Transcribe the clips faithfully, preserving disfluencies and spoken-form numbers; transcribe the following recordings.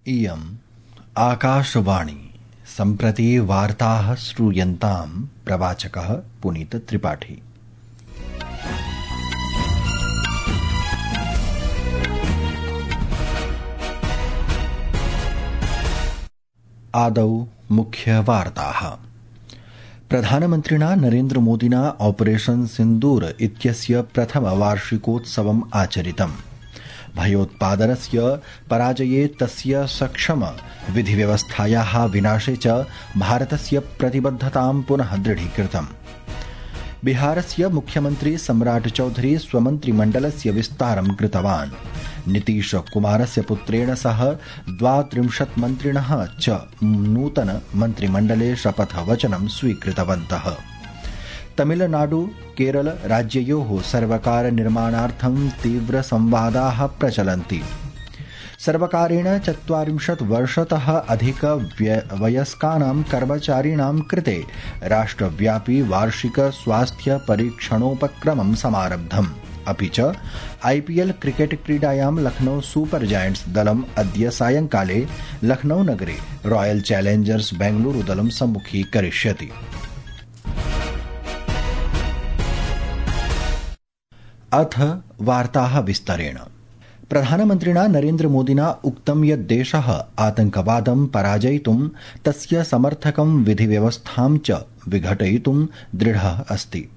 इयम् आकाशवाणी सम्प्रति वार्ताः श्रूयन्तां प्रवाचकः पुनीत त्रिपाठी। आदौ मुख्यवार्ताः। प्रधानमन्त्रिणा नरेन्द्र मोदिना ऑपरेशन सिन्दूर इत्यस्य प्रथमवार्षिकोत्सवम् आचरितम्। भयोत्पादनस्य पराजये तस्य सक्षम विधिव्यवस्थायाः विनाशे च भारतस्य प्रतिबद्धतां पुनः दृढीकृतम्। बिहारस्य मुख्यमन्त्री सम्राट चौधरी स्वमन्त्रिमण्डलस्य विस्तारं कृतवान्। नीतीश कुमारस्य पुत्रेण सह द्वात्रिंशत् मन्त्रिणः च नूतन मन्त्रिमण्डले शपथवचनं स्वीकृतवन्तः। तमिलनाडु केरल राज्ययोः सर्वकार निर्माणार्थं तीव्र संवादाः प्रचलन्ति। सर्वकारेण चत्वारिंशत् वर्षतः अधिक वयस्कानां कर्मचारिणां कृते राष्ट्रव्यापी वार्षिक स्वास्थ्य परीक्षणोपक्रमं समारब्धम्। अपि च आईपीएल क्रिकेट क्रीडायां लखनऊ सुपर जायंट्स दलम् अद्य सायंकाले लखनऊ नगरे रॉयल चैलेंजर्स बेंगलुरु दलं सम्मुखीकरिष्यति। अथ वार्ताः विस्तरेण। प्रधानमन्त्रिणा नरेन्द्र मोदिना उक्तं यत् देशः आतंकवादं पराजयितुं तस्य समर्थकं विधिव्यवस्थां च विघटयितुं दृढः अस्ति।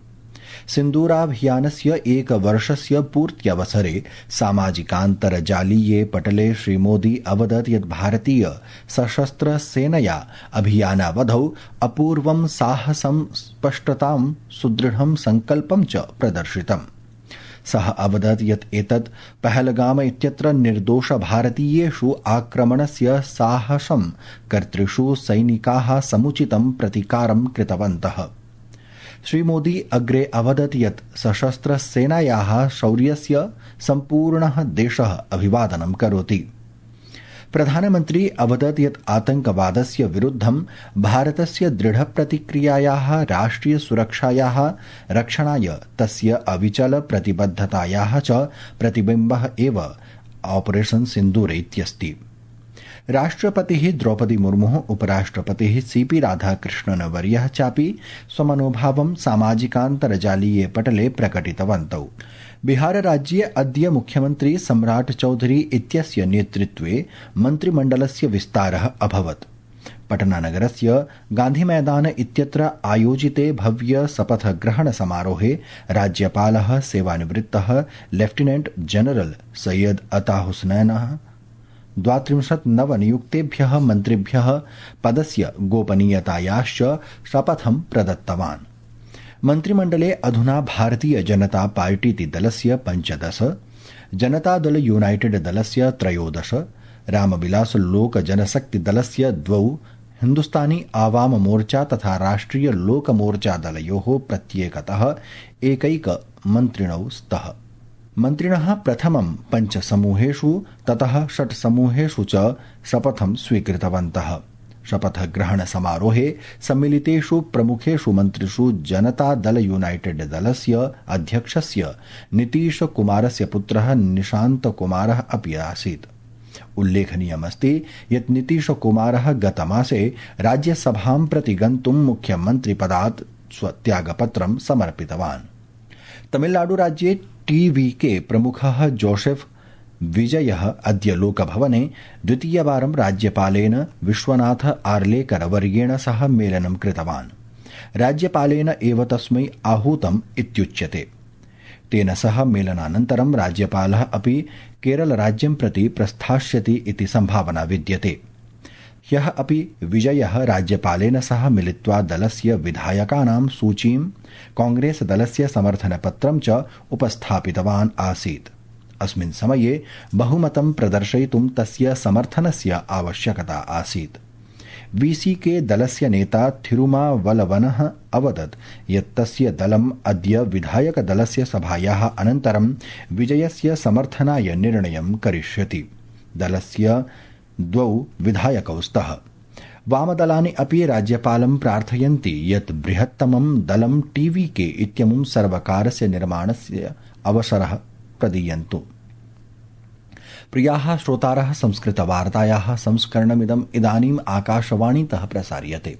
सिन्दूराभियानस्य एकवर्षस्य पूर्त्यवसरे सामाजिकान्तर्जालीये पटले श्रीमोदी अवदत् यत् भारतीय सशस्त्र सेनया अभियानावधौ अपूर्वं साहसं स्पष्टतां सुदृढं संकल्पं च प्रदर्शितम्। सः अवदत् यत् एतत् पहलगाम इत्यत्र निर्दोष भारतीयेषु आक्रमणस्य साहसं कर्तृषु सैनिकाः समुचितं प्रतिकारं कृतवन्तः। श्रीमोदी अग्रे अवदत् यत् सशस्त्र सेनायाः शौर्यस्य सम्पूर्णः देशः अभिवादनं करोति। प्रधानमन्त्री अवदत् यत् आतंकवादस्य विरुद्धं भारतस्य दृढ प्रतिक्रियायाः राष्ट्रिय सुरक्षायाः रक्षणाय तस्य अविचल प्रतिबद्धतायाः च प्रतिबिम्बः एव ऑपरेशन सिन्दूर इत्यस्ति। राष्ट्रपतिः द्रौपदी मुर्मुः उपराष्ट्रपतिः सीपी राधाकृष्णन वर्यः चापि स्वमनोभावं सामाजिकान्तर्जालीये पटले प्रकटितवन्तौ। बिहारराज्ये अद्य मुख्यमन्त्री सम्राट चौधरी इत्यस्य नेतृत्वे मन्त्रिमण्डलस्य विस्तारः अभवत्। पटनानगरस्य गान्धीमैदान इत्यत्र आयोजिते भव्य शपथग्रहण समारोहे राज्यपालः सेवानिवृत्तः लेफ्टिनेंट जनरल सैयद अता हुसैनः द्वात्रिंशत् नवनियुक्तेभ्यः मन्त्रिभ्यः पदस्य गोपनीयतायाश्च शपथं प्रदत्तवान्। मन्त्रिमण्डले अधुना भारतीय जनता पार्टीति दलस्य पञ्चदश, जनतादल यूनाइटेड दलस्य त्रयोदश, रामविलास लोक जनशक्ति दलस्य द्वौ, हिन्दुस्तानी आवाम मोर्चा तथा राष्ट्रिय लोक मोर्चा दलयोः प्रत्येकतः एकैक मन्त्रिणौ स्तः। मन्त्रिणः प्रथमं पञ्चसमूहेषु ततः षट्समूहेषु च शपथं स्वीकृतवन्तः। शपथग्रहण समारोहे सम्मिलितेषु प्रमुखेषु मन्त्रिषु जनता दल यूनाइटेड दलस्य अध्यक्षस्य नीतीश कुमारस्य पुत्रः निशान्त कुमारः अपि आसीत्। उल्लेखनीयमस्ति यत् नीतीश कुमारः गतमासे राज्यसभां प्रति गन्तुं मुख्यमन्त्रिपदात् स्वत्यागपत्रं समर्पितवान्। तमिलनाडुराज्ये टीवीके प्रमुखः जोसेफ विजयः अद्य लोकभवने द्वितीयवारं राज्यपालेन विश्वनाथ आर्लेकर वर्येण सह मेलनं कृतवान्। राज्यपालेन एव तस्मै आहूतम् इत्युच्यते। तेन सह मेलनानन्तरं राज्यपालः अपि केरलराज्यं प्रति प्रस्थास्यति इति सम्भावना विद्यते। ह्यः अपि विजयः राज्यपालेन सह मिलित्वा दलस्य विधायकानां सूचीं कांग्रेस दलस्य समर्थनपत्रं च उपस्थापितवान् आसीत्। अस्मिन् समये बहुमतं प्रदर्शयितुं तस्य समर्थनस्य आवश्यकता आसीत्। वीसीके दलस्य नेता थिरुमावलवनः अवदत् यत् तस्य दलम् अद्य विधायकदलस्य सभायाः अनन्तरं विजयस्य समर्थनाय निर्णयं करिष्यति। दलस्य द्वौ विधायकौ स्तः। वामदलानि अपि राज्यपालं प्रार्थयन्ति यत् बृहत्तमं दलं टीवीके इत्यमुं सर्वकारस्य निर्माणस्य अवसरः प्रदीयन्तु। प्रियाः श्रोतारः, संस्कृतवार्तायाः संस्करणमिदम् इदानीम् आकाशवाणीतः प्रसार्यते।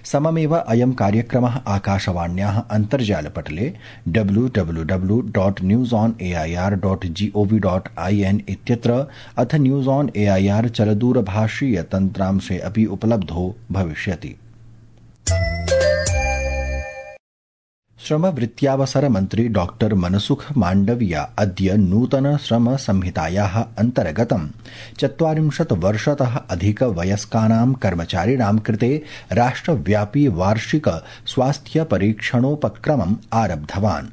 सममेव अयं कार्यक्रमः आकाशवाण्याः अन्तर्जालपटले W W W dot news on A I R dot GOV dot I N इत्यत्र अथ news on A I R चलदूरभाषीय तन्त्रांशे अपि उपलब्धो भविष्यति। श्रमवृत्त्यावसर मन्त्री डॉक्टर मनसुख माण्डविया अद्य नूतन श्रम संहितायाः अन्तर्गतं चत्वारिंशत् वर्षतः अधिक वयस्कानां कर्मचारिणां कृते राष्ट्रव्यापी वार्षिक स्वास्थ्य परीक्षणोपक्रमम् आरब्धवान्।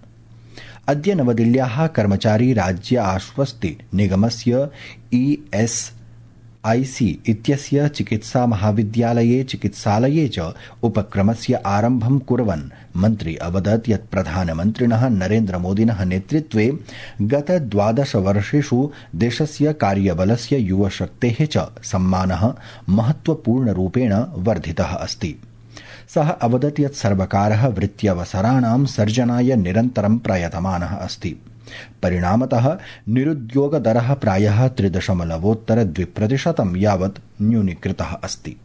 अद्य नवदिल्ल्याः कर्मचारी राज्य आश्वस्ति निगमस्य ई एस आई सी इत्यस्य चिकित्सा महाविद्यालये चिकित्सालये च उपक्रमस्य आरम्भं कुर्वन् मन्त्री अवदत् यत् प्रधानमन्त्रिणः नरेन्द्रमोदिनः नेतृत्वे गत द्वादश वर्षेषु देशस्य कार्यबलस्य युवशक्तेः च सम्मानः महत्वपूर्णरूपेण वर्धितः अस्ति। सः अवदत् यत् सर्वकारः वृत्त्यवसराणां सर्जनाय निरन्तरं प्रयतमानः अस्ति। परिणामतः निरुद्योगदरः प्रायः त्रिदशमलवोत्तर द्विप्रतिशतं यावत् न्यूनीकृतः अस्ति।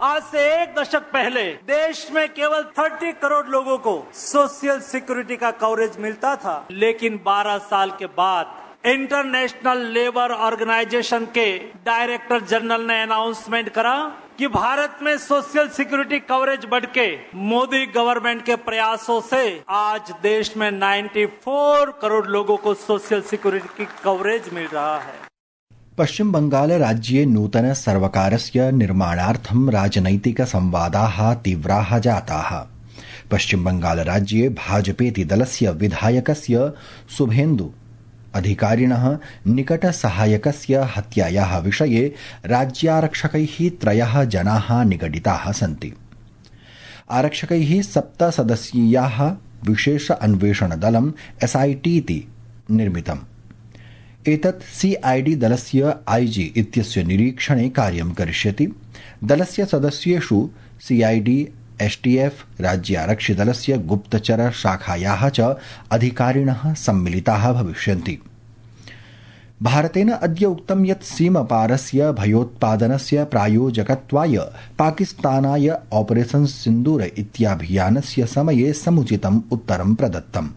आज से एक दशक पहले देश में केवल तीस करोड़ लोगों को सोशल सिक्योरिटी का कवरेज मिलता था, लेकिन बारह साल के बाद इंटरनेशनल लेबर ऑर्गेनाइजेशन के डायरेक्टर जनरल ने अनाउंसमेंट करा कि भारत में सोशल सिक्योरिटी कवरेज बढ़ के मोदी गवर्नमेंट के प्रयासों से आज देश में चौरानवे करोड़ लोगों को सोशल सिक्योरिटी की कवरेज मिल रहा है। पश्चिम बंगाल राज्ये नूतन सर्वकारस्य निर्माणार्थं राजनैतिक संवादाः तीव्राः जाताः। पश्चिम बंगाल राज्ये भाजपेति दलस्य विधायकस्य शुभेन्दु अधिकारिणः निकट सहायकस्य हत्यायाः विषये राज्यारक्षकैः त्रयः जनाः निगडिताः सन्ति। आरक्षकैः सप्त सदस्यीयाः विशेष अन्वेषण दलम् एस आई टी इति निर्मितम्। एतत् सी आई डी दलस्य आई जी इत्यस्य निरीक्षणे कार्यं करिष्यति। दलस्य सदस्येषु C I D S T F राज्यारक्षिदलस्य गुप्तचर शाखायाः च अधिकारिणः सम्मिलिताः भविष्यन्ति। भारतेन अद्य उक्तं यत् सीमपारस्य भयोत्पादनस्य प्रायोजकत्वाय पाकिस्तानाय ऑपरेशन सिन्दूर इत्याभियानस्य समये समुचितम् उत्तरं प्रदत्तम्।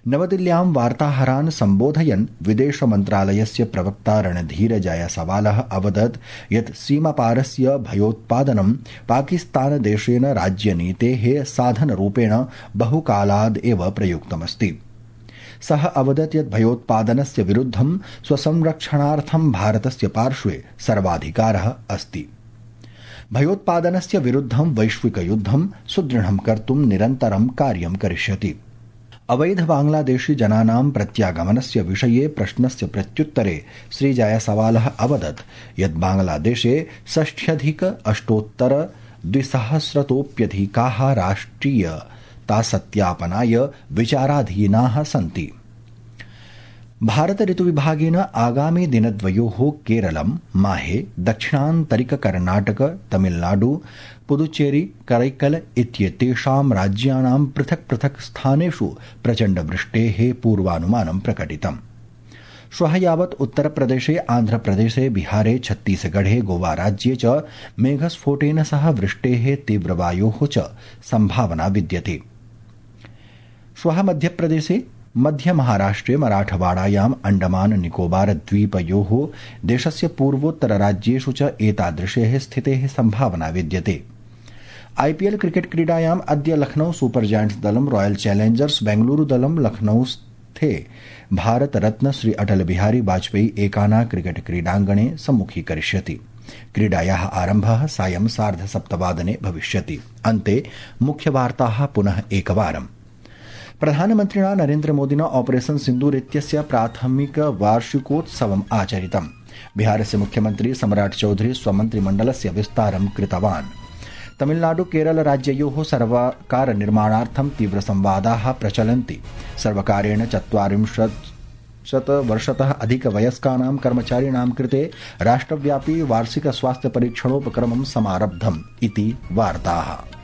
नवदिल्ल्यां वार्ताहरान् सम्बोधयन् विदेश मन्त्रालयस्य प्रवक्ता रणधीर जायसवालः अवदत् यत् सीमापारस्य भयोत्पादनं पाकिस्तानदेशेन राज्यनीतेः साधनरूपेण बहुकालाद् एव प्रयुक्तमस्ति। सः अवदत् यत् भयोत्पादनस्य विरुद्धं स्वसंरक्षणार्थं भारतस्य पार्श्वे सर्वाधिकारः अस्ति। भयोत्पादनस्य विरुद्धं वैश्विकयुद्धं सुदृढं कर्तुं निरन्तरं कार्यं करिष्यति। अवैध बांग्लादेशी जनानां प्रत्यागमनस्य विषये प्रश्नस्य प्रत्युत्तरे श्री जायसवालः अवदत् यत् बांग्लादेशे षष्ठ्यधिक अष्टोत्तर द्विसहस्रतोऽप्यधिकाः राष्ट्रियतासत्यापनाय विचाराधीनाः सन्ति। भारत ऋतुविभागेन आगामि दिनद्वयोः केरलं, माहे, दक्षिणान्तरिक कर्नाटक, तमिलनाडु, पुदुचेरी, करैकल इत्येतेषां राज्यानां पृथक् पृथक् स्थानेषु प्रचण्डवृष्टेः पूर्वानुमानं प्रकटितम्। श्वः यावत् उत्तरप्रदेशे, आन्ध्रप्रदेशे, बिहारे, छत्तीसगढ़े, गोवा राज्ये च मेघस्फोटेन सह वृष्टेः तीव्रवायोः च सम्भावना विद्यते। श्वः मध्यप्रदेशे, मध्य महाराष्ट्रे, मराठवाड़ायाम्, अंडमान निकोबार द्वीपयोः देशस्य पूर्वोत्तर राज्येषु च एतादृशेः स्थितेः सम्भावना विद्यते। आईपीएल क्रिकेट क्रीडायाम् अद्य लखनऊ सुपर जायंट्स दलं रॉयल चैलेंजर्स बेंगलुरू दलं लखनऊस्थे भारत रत्न श्री अटल बिहारी वाजपेयी एकाना क्रिकेट क्रीडाङ्गणे सम्मुखीकरिष्यति। क्रीडायाः आरम्भः सायं सार्धसप्तवादने भविष्यति। अन्ते मुख्यवार्ताः पुनः एकवारम्। प्रधानमन्त्रिणा नरेन्द्रमोदिना ऑपरेशन सिन्दूर इत्यस्य प्राथमिक वार्षिकोत्सवम् आचरितम्। बिहारस्य मुख्यमन्त्री सम्राट चौधरी स्वमन्त्रिमण्डलस्य विस्तारं कृतवान्। तमिलनाडु केरल राज्ययोः सर्वकार निर्माणार्थं तीव्र संवादाः प्रचलन्ति। सर्वकारेण चत्वारिंशत् शतवर्षतः अधिकवयस्कानां कर्मचारिणां कृते राष्ट्रव्यापी वार्षिक स्वास्थ्य परीक्षणोपक्रमं समारब्धम् इति वार्ताः।